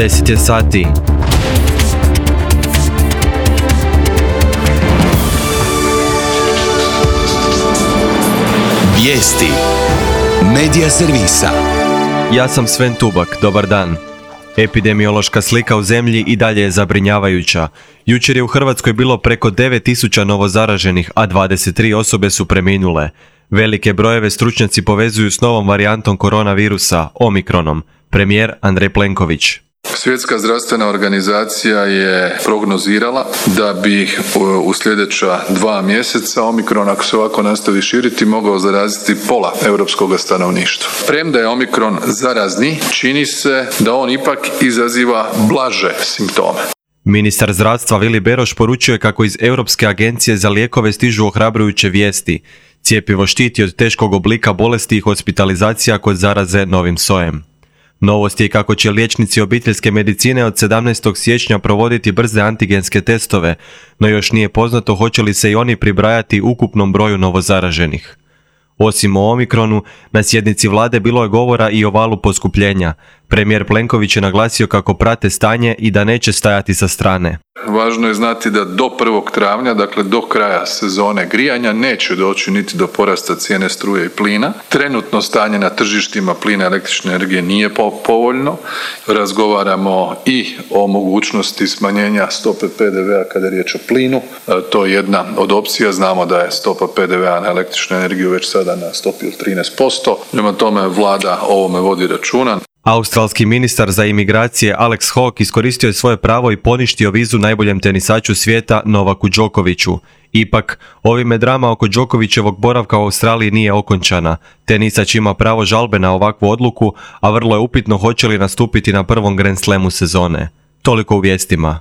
10 je sati. Vijesti Medija servisa. Ja sam Sven Tubak, dobar dan. Epidemiološka slika u zemlji i dalje je zabrinjavajuća. Jučer je u Hrvatskoj bilo preko 9000 novozaraženih, a 23 osobe su preminule. Velike brojeve stručnjaci povezuju s novom varijantom koronavirusa, Omikronom. Premijer Andrej Plenković. Svjetska zdravstvena organizacija je prognozirala da bi u sljedeća 2 mjeseca Omikron, ako se ovako nastavi širiti, mogao zaraziti pola europskog stanovništva. Premda je Omikron zarazni, čini se da on ipak izaziva blaže simptome. Ministar zdravstva Vili Beroš poručio je kako iz Europske agencije za lijekove stižu ohrabrujuće vijesti. Cjepivo štiti od teškog oblika bolesti i hospitalizacija kod zaraze novim sojem. Novost je kako će liječnici obiteljske medicine od 17. siječnja provoditi brze antigenske testove, no još nije poznato hoće li se i oni pribrajati ukupnom broju novozaraženih. Osim o Omikronu, na sjednici vlade bilo je govora i o valu poskupljenja. Premijer Plenković je naglasio kako prate stanje i da neće stajati sa strane. Važno je znati da do 1. travnja, dakle do kraja sezone grijanja, neće doći niti do porasta cijene struje i plina. Trenutno stanje na tržištima plina i električne energije nije povoljno. Razgovaramo i o mogućnosti smanjenja stope PDV-a kada je riječ o plinu. To je jedna od opcija. Znamo da je stopa PDV-a na električnu energiju već sada na stopi od 13%. Prema tome vlada o ovome vodi računa. Australski ministar za imigracije Alex Hawke iskoristio je svoje pravo i poništio vizu najboljem tenisaču svijeta Novaku Đokoviću. Ipak, ovime drama oko Đokovićevog boravka u Australiji nije okončana. Tenisač ima pravo žalbe na ovakvu odluku, a vrlo je upitno hoće li nastupiti na prvom Grand Slamu sezone. Toliko u vijestima.